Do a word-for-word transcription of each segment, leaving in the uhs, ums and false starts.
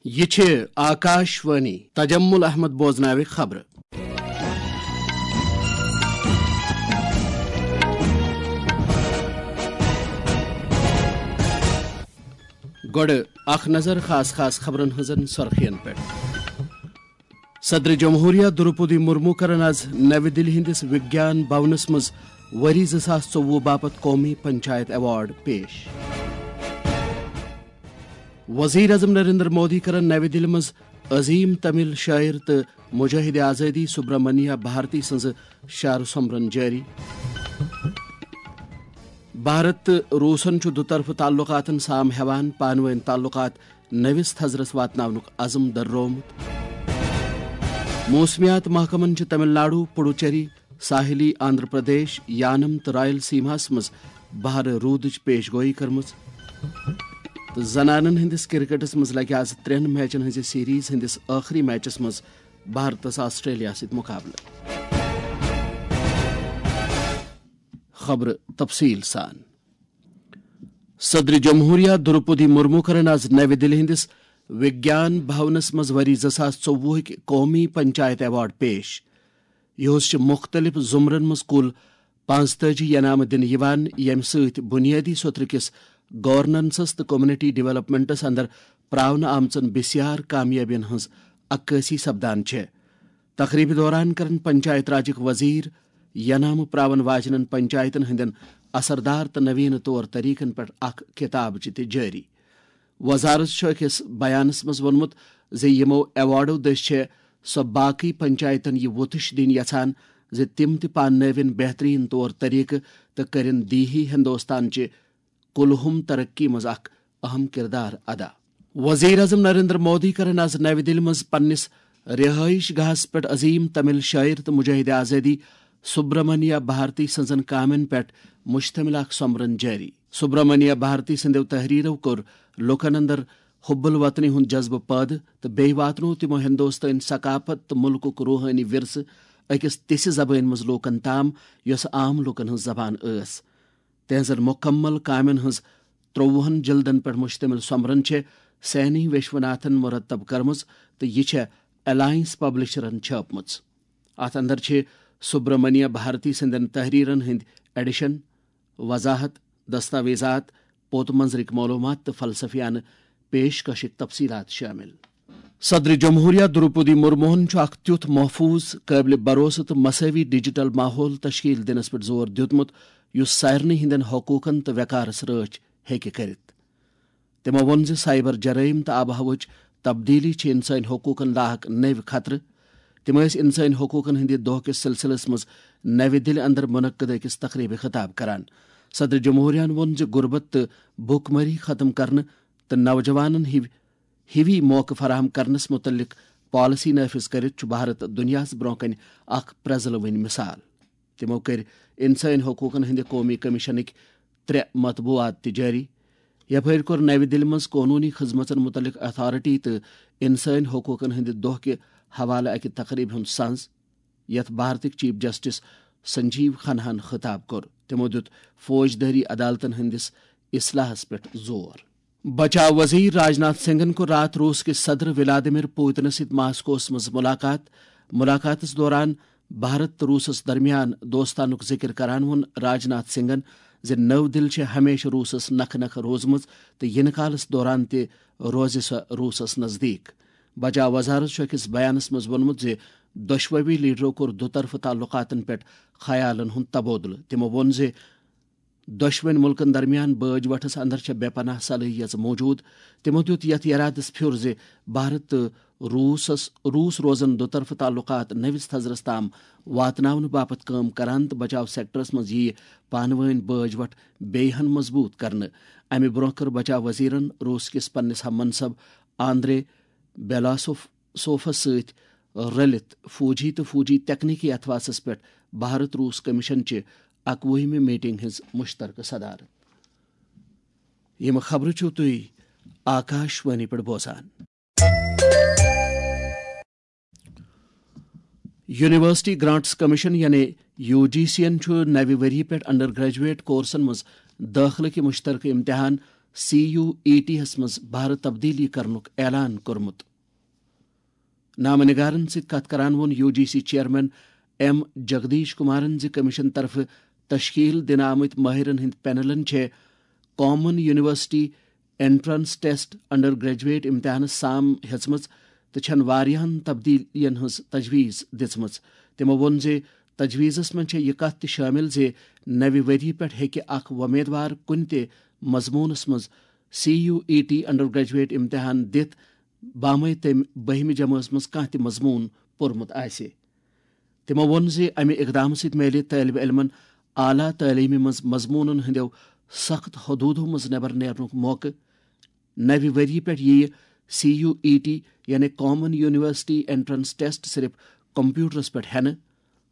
یہِ چھِ آکاش وانی۔ تجمل احمد بوزناوِ خبرٕ۔ گۄڈٕ اکھ نظر خاص خاص خبرن ہٕنٛزن سرخین پٮ۪ٹھ۔ صدر جمہوریہ دروپدی مرمو کرن از نوِ دِلہِ ہٕنٛدِس وگیان بھونس منٛز ؤری زٕ ساس ژوٚوُہ باپتھ قومی پنچایت ایوارڈ پیش۔ وزیر اعظم نریندر مودی کرن نوِ دِلہِ منٛز عظیم تمل شٲعر تہٕ مجاہد آزادی سبرامنیا بھارتی سٕنٛزٕ شعر سومبرن جٲری۔ بھارت تہٕ روٗسن چھُ دُطرفہٕ تعلقاتن سام ہٮ۪وان پانہٕ وٲنۍ تعلقات نٔوِس تھزرس واتناونُک عزم درٛومُت۔ موسمیات محکمن چھِ تمل ناڈو، پڈوچیری، ساحلی آندھرا پردیش، یانم تہٕ رائل سیماہس منٛز بہارٕ روٗدٕچ پیش گویی کٔرمٕژ۔ تہٕ زنانن ہٕنٛدِس کرکٹس منٛز لگہِ آز ترٛٮ۪ن میچن ہٕنٛزِ سیریز ہٕنٛدِس ٲخری میچس منٛز بھارتس آسٹریلیا سۭتۍ مقابلہٕ۔ خبرٕ تفصیل سان۔ صدر جمہوریہ دروپدی مرمو کرن آز نوِ دِلہِ ہٕنٛدِس وگیان بھونس منٛز ؤری زٕ ساس ژوٚوُہٕکۍ قومی پنچایت ایوارڈ پیش۔ یِہُس چھِ مُختٔلِف زُمرن منٛز کُل پانٛژتٲجی ینامہٕ دِنہٕ یِوان، ییٚمہِ سۭتۍ بُنیٲدی سوٚترٕ کِس گورننسس تہٕ کمیونٹی ڈیولپمنٹس اندر پراونہٕ آمژن بسیار کامیٲبین ہٕنٛز عکٲسی سپدان چھےٚ۔ تقریبہِ دوران کرن پنچایت راجٕکۍ وزیر ینامہٕ پراون واجنٮ۪ن پنچایتن ہٕنٛدٮ۪ن اثردار تہٕ نوینہٕ طور طریقن پٮ۪ٹھ اکھ کتابچہِ تہِ جٲری۔ وزارت چھُ أکِس بیانس منٛز ووٚنمُت زِ یِمو ایوارڈو دٔسۍ چھےٚ سۄ باقٕے پنچایتن یہِ وۄتش دِنۍ یژھان زِ تِم تہِ پاننٲوِن بہترین طور طریقہٕ تہٕ کٔرِن دیہی ہندوستانچہِ کُلہُم ترقی منٛز اکھ اہم کردار ادا۔ وزیر اعظم نریندر مودی کرن از نوِ دِلہِ منٛز پننِس رہٲیش گاہس پٮ۪ٹھ عظیم تمل شٲعر تہٕ مجاہد آزادی سبرامنیا بھارتی سٕنٛزن کامٮ۪ن پٮ۪ٹھ مشتمل اکھ سومبرن جٲری۔ سبرامنیا بھارتی سٕنٛدیو تحریرو کوٚر لوٗکن اندر حب الوطنی ہُنٛد جذبہٕ پٲدٕ تہٕ بیٚیہِ واتنوو تِمو ہندوستٲنۍ ثقافت تہٕ مُلکُک روحٲنی ورثہٕ أکِس تِژھِ زبٲنۍ منٛز لوٗکن تام، یۄسہٕ عام لوٗکن ہٕنٛز زبان ٲس۔ تہنٛزن مُکمل کامٮ۪ن ہٕنٛز ترٛۆوُہن جلدن پٮ۪ٹھ مشتمل سومبرن چھےٚ سینی وشوناتھن مرتب کٔرمٕژ تہٕ یہِ چھےٚ الائنس پبلشرن چھٲپمٕژ۔ اتھ اندر چھِ سبرامنیا بھارتی سٕنٛدٮ۪ن تحریرن ہٕنٛدۍ ایڈیشن، وضاحت، دستاویزات، پوت منظرٕکۍ معلومات تہٕ فلسفیانہٕ پیشکشٕکۍ تفصیلات شٲمِل۔ صدر جمہوریہ دروپدی مرموہن چھُ اکھ تیُتھ محفوظ، قٲبلِ بھروسہٕ تہٕ مساوی ڈیجیٹل ماحول تشکیل دِنس پٮ۪ٹھ زور دیُتمُت، یُس سارنٕے ہٕنٛدٮ۪ن حقوقن تہٕ وقارس رٲچھ ہیٚکہِ کٔرِتھ۔ تِمو ووٚن زِ سائبر جرائم تہٕ آب و ہوہٕچ تبدیلی چھِ انسٲنی حقوقن لاحق نٔوۍ خطرٕ۔ تِم ٲسۍ انسٲنی حقوقن ہٕنٛدِ دۄہ کِس سلسلس منٛز نوِ دِلہِ اندر منعقد أکِس تقریبہِ خطاب کران۔ صدر جمہوریہن ووٚن زِ غربت تہٕ بھوک مری ختم کرنہٕ تہٕ نوجوانن ہِوۍ ہِوی موقعہٕ فراہم کرنس متعلق پالیسی نافذ کٔرِتھ چھُ بھارت دُنیاہَس برٛونٛہہ کنہِ اکھ پرٛزلوٕنۍ مثال۔ تِمو کٔرۍ انسٲنی حقوقن ہٕنٛدِ قومی کمیشنٕکۍ ترٛےٚ مطبوعات تہِ جٲری۔ یپٲرۍ کوٚر نوِ دِلہِ منٛز قونوٗنی خدمژن متعلق اتھارٹی تہٕ انسٲنی حقوقن ہٕنٛدِ دۄہ کہِ حوالہٕ اکہِ تقریبہِ ہُنٛد سنز، یتھ بھارتٕکۍ چیف جسٹس سنجیو کھناہن خطاب کوٚر۔ تِمو دیُت فوجدٲری عدالتن ہٕنٛدِس اصلاحس پٮ۪ٹھ زور۔ بچاو وزیر راجناتھ سنگھن کوٚر راتھ روٗس کِس صدر ولادیمیر پوتنس سۭتۍ ماسکوس منٛز ملاقات۔ ملاقاتس دوران بھارت تہٕ روٗسس درمیان دوستانُک ذِکر کران ووٚن راجناتھ سنگھن زِ نٔو دِل چھِ ہمیشہٕ روٗسس نکھٕ نکھٕ روٗزمٕژ تہٕ یِنہٕ کالس دوران تہِ روزِ سۄ روٗسس نزدیٖک۔ بچاو وزارت چھُ أکِس بیانس منٛز ووٚنمُت زِ دۄشوٕے لیڈرو کوٚر دُطرفہٕ تعلقاتن پٮ۪ٹھ خیالن ہُنٛد تبادلہٕ۔ تِمو ووٚن زِ دۄشوٕنۍ مُلکن درمیان بٲج وٹھس اندر چھےٚ بے پناہ صلٲحیژ موجود۔ تِمو دیُت یتھ یرادس پھیُر زِ بھارت تہٕ روٗسس، روٗس روزن دُطرفہٕ تعلقات نٔوِس تھزرس تام واتناونہٕ باپتھ کٲم کران تہٕ بچاو سیکٹرس منٛز یِیہِ پانہٕ وٲنۍ بٲج وٹھ بیٚیہِ ہن مضبوٗط کرنہٕ۔ امہِ برٛونٛہہ کٔر بچاو وزیرن روٗس کِس پننِس ہم منصب آندرے بیلاسوف، سوفس سۭتۍ رلِتھ فوجی تہٕ فوجی تکنیکی اتھواسس پٮ۪ٹھ بھارت روٗس کمیشن چہِ اکوُہمہِ میٹنگ ہٕنٛز مشترکہٕ صدارت۔ یِم خبرٕ چھِو تُہۍ آکاش وانی پٮ۪ٹھ بوزان۔ یونیورسٹی گرانٹس کمیشن یعنی یو جی سی یَن چھُ نوِ ؤری پٮ۪ٹھ انڈر گریجویٹ کورسن منٛز دٲخلہٕ کہِ مشترکہٕ امتحان سی یو ای ٹی ہس منٛز بھرٕ تبدیلی کرنُک اعلان کوٚرمُت۔ نامہ نگارن سۭتۍ کتھ کران ووٚن U G C chairman M Jagdish کمارن زِ کمیشن طرفہٕ تشکیل دِنہٕ آمٕتۍ مٲہرن ہٕنٛدۍ پینلن چھےٚ common university entrance test under graduate امتحانس سام ہیژمٕژ تہٕ چھن واریاہن تبدیلین ہٕنٛز تجویز دِژمٕژ۔ تِمو ووٚن زِ تجویزس منٛز چھےٚ یہِ کتھ تہِ شٲمِل زِ نوِ ؤریہِ پٮ۪ٹھ ہیٚکہِ اکھ وۄمیدوار کُنہِ تہِ مضموٗنس منٛز C U E T undergraduate امتحان دِتھ، بامے تٔمۍ بٔہمہِ جمٲژ منٛز کانٛہہ تہِ مضموٗن پوٚرمُت آسہِ۔ تِمو ووٚن زِ امہِ اقدامہٕ سۭتۍ میلہِ طٲلبہِ علمن اعلیٰ تعلیمہِ منٛز مضموٗنن ہٕنٛدیو سخت حدوٗدو منٛز نٮ۪بر نیرنُک موقعہٕ۔ نوِ ؤریہِ پٮ۪ٹھ یِیہِ سی یو ای ٹی یعنی کامن یونیورسٹی انٹرنس ٹیسٹ صرف کمپیوٹرس پٮ۪ٹھ ہٮ۪نہٕ۔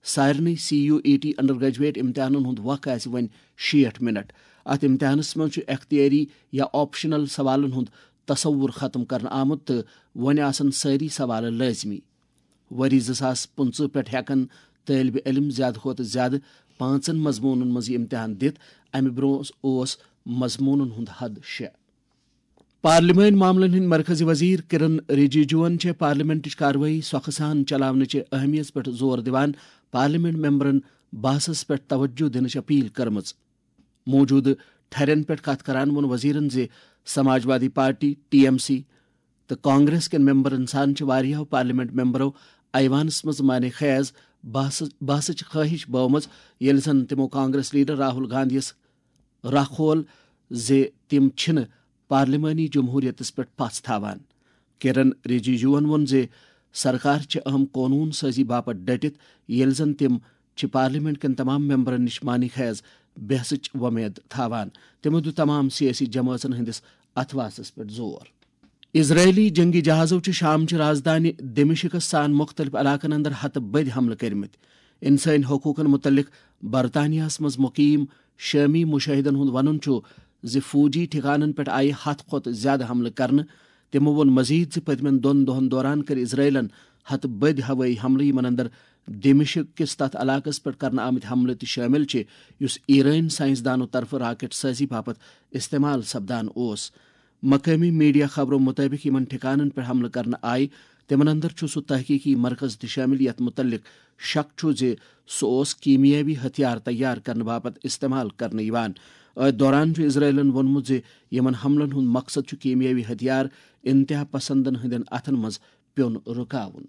سارنٕے C U E T undergraduate امتحانن ہُنٛد وق آسہِ وۄنۍ شیٹھ منٹ۔ اتھ امتحانس منٛز چھُ اختیٲری یا آپشنل سوالن ہُنٛد تصور ختم کرنہٕ آمُت تہٕ وۄنۍ آسن سٲری سوالہٕ لٲزمی۔ ؤری زٕ ساس پٕنٛژٕہ پٮ۪ٹھ ہٮ۪کن طٲلبہِ علم زیادٕ کھۄتہٕ زیادٕ پانٛژن مضموٗنن منٛز یہِ امتحان دِتھ۔ امہِ برٛونٛہہ اوس مضموٗنن ہُنٛد حد شےٚ۔ پارلیمٲنۍ معاملن ہٕنٛدۍ مرکزی وزیر کرن رجیجوَن چھےٚ پارلیمنٹٕچ کاروٲیی سۄکھٕ سان چلاونٕچہِ اہمیت پٮ۪ٹھ زور دِوان پارلیمنٹ ممبرن بحثس پٮ۪ٹھ توجہ دِنٕچ اپیل کٔرمٕژ۔ موجودٕ ٹھرٮ۪ن پٮ۪ٹھ کتھ کران ووٚن وزیرن زِ Samajwadi party, T M C, تہٕ کانگریس کٮ۪ن ممبرن سان چھِ واریاہو پارلیمنٹ ممبرو ایوانس منٛز معنی خیز بحث-، بحثٕچ خٲہِش بٲومٕژ، ییٚلہِ زن تِمو کانگریس لیڈر راہل گاندھیَس راہ کھول زِ تِم چھِنہٕ پارلیمانی جمہوریتس پٮ۪ٹھ پژھ تھاوان۔ کرن رجیجوَن ووٚن زِ سرکار چھِ اہم قونوٗن سٲزی باپتھ ڈٔٹِتھ، ییٚلہِ زن تِم چھِ پارلیمنٹ کٮ۪ن تمام ممبرن نِش معنی خیز بحثٕچ وۄمید تھاوان۔ تِمو دیُت تمام سیٲسی جمٲژن ہٕنٛدِس اتھواسس پٮ۪ٹھ زور۔ اسرائیلی جنگی جہازو چھِ شام چہِ رازدانہِ دمشقس سان مُختٔلِف علاقن اندر ہتہٕ بٔدۍ حملہٕ کٔرمٕتۍ۔ انسٲنی حقوٗقن مُتعلق برطانیہس منٛز مُقیٖم شٲمی مُشٲہِدن ہُنٛد وَنُن چھُ زِ فوجی ٹھِکانن پٮ۪ٹھ آیہِ ہتھ کھۄتہٕ زِیٛادٕ حملہٕ کرنہٕ۔ تِمو ووٚن مزید زِ پٔتمٮ۪ن دۄن دۄہَن دوران کٔرۍ اسرائیلن ہتہٕ بٔدۍ ہوٲیی حملہٕ، یِمن اندر دمشق کِس تتھ علاقس پٮ۪ٹھ کرنہٕ آمٕتۍ حملہٕ تہِ شٲمِل چھِ، یُس ایرٲنۍ سائنسدانو طرفہٕ راکٹ سٲزی باپتھ استعمال سپدان اوس۔ مقٲمی میڈیا خبرو مُطٲبِق یِمن ٹھِکانن پٮ۪ٹھ حملہٕ کرنہٕ آیہِ، تِمن اندر چھُ سُہ تحقیقی مرکز تہِ شٲمِل یتھ مُتعلق شک چھُ زِ سُہ اوس کیمیٲوی ہتھیار تیار کرنہٕ باپتھ استعمال کرنہٕ یِوان۔ أتھۍ دوران چھُ اسرائیلن ووٚنمُت زِ یِمن حملن ہُنٛد مقصد چھُ کیمیٲوی ہتھیار انتہا پسندن ہٕنٛدٮ۪ن اتھن منٛز پیوٚن رُکاوُن۔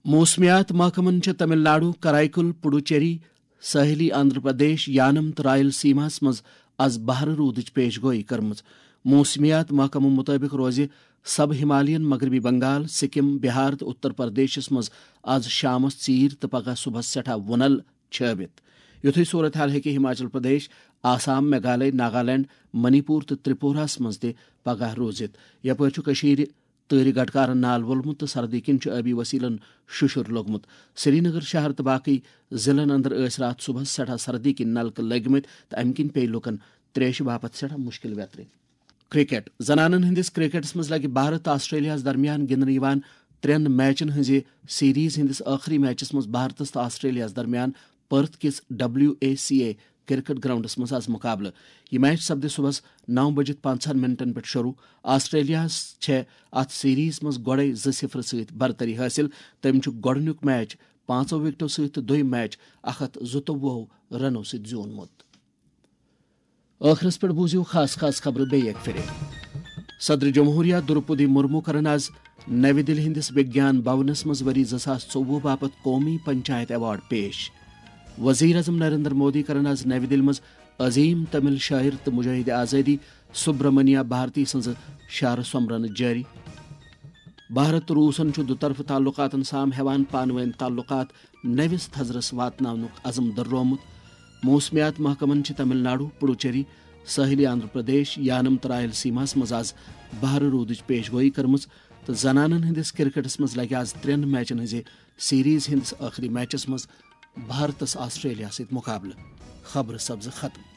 موسمیات محکمن چھےٚ تمل ناڈو، کرائیکل، پڈوچیری، ساحلی آندھرا پردیش، یانم تہٕ رائل سیماہس منٛز از بہرٕ روٗدٕچ پیش گویی کٔرمٕژ۔ موسمیات محکمہٕ مُطٲبِق روزِ سب ہمالین مغربی بنگال، سکم، بہار تہٕ اتر پردیشس منٛز از شامس ژیٖرۍ تہٕ پگہہ صبحس سٮ۪ٹھاہ وُنل چھٲوِتھ۔ یُتھُے صورت حال ہیٚکہِ ہماچل پردیش، آسام، میگھالے، ناگالینڈ، منی پور تہٕ ترپوراہس منٛز تہِ پگہہ روٗزِتھ۔ یپٲرۍ چھُ کٔشیٖرِ تۭرِ گٹکارن نال وولمُت تہٕ سردی کِنۍ چھُ آبی وسیلن شُشُر لوٚگمُت۔ سرینگر شہر تہٕ باقٕے ضلعن اندر ٲسۍ راتھ صبحس سٮ۪ٹھاہ سردی کِنۍ نلکہٕ لٔگمٕتۍ تہٕ امہِ کِنۍ پیٚیہِ لوٗکن تریشہِ باپتھ سٮ۪ٹھاہ مُشکِل ویترِ۔ کرکٹ۔ زنانن ہٕنٛدِس کرکٹس منٛز لگہِ بھارت تہٕ آسٹریلیاہس درمیان گِنٛدنہٕ یِوان ترٛٮ۪ن میچن ہٕنٛزِ سیریز ہٕنٛدِس ٲخری میچس منٛز بھارتس تہٕ آسٹریلیاہس درمیان پرتھ کِس W A C A cricket گراؤنڈس منٛز از مقابلہٕ۔ یہِ میچ سپدِ صبحس نو بجِتھ پنٛژاہن منٹن پٮ۪ٹھ شروع۔ آسٹریلیاہس چھےٚ اتھ سیریز منٛز گۄڈے زٕ صفر سۭتۍ برتری حٲصِل۔ تٔمۍ چھُ گۄڈٕنیُک میچ پانٛژو وکٹو سۭتۍ تہٕ دوٚیِم میچ اکھ ہتھ زٕتووُہو رنو سۭتۍ زیوٗنمُت۔ ٲخرس پٮ۪ٹھ بوٗزِو خاص خاص خبرٕ بیٚیہِ اکہِ پھِرِ۔ صدر جمہوریہ درپدی مرمو کرن از نوِ دِلہِ ہٕنٛدِس وگیان بھونس منٛز ؤری زٕ ساس ژوٚوُہ باپتھ قومی پنچایت ایوارڈ پیش۔ وزیر اعظم نریندر مودی کرن از نوِ دِلہِ منٛز عظیم تمل شٲعر تہٕ مجاہد آزادی سبرمنیا بھارتی سٕنٛزٕ شعرٕ سۄمبرنہٕ جٲری۔ بھارت تہٕ روٗسن چھُ دُطرفہٕ تعلقاتن سام ہٮ۪وان پانہٕ وٲنۍ تعلقات نٔوِس تھزرس واتناونُک عزم دٔررومُت۔ موسمیات محکمن چھِ تمل ناڈو، پڈوچیری، ساحلی آندھرا پردیش، یانم تہٕ رائل سیماہس منٛز از بہرٕ روٗدٕچ پیش گویی کٔرمٕژ تہٕ زنانن ہٕنٛدِس کرکٹس منٛز لگہِ از ترٛٮ۪ن میچن ہٕنٛزِ سیریز ہٕنٛدِس ٲخری میچس منٛز بھارتس آسٹریلیا سۭتۍ مقابلہٕ۔ خبرٕ سپزٕ ختم۔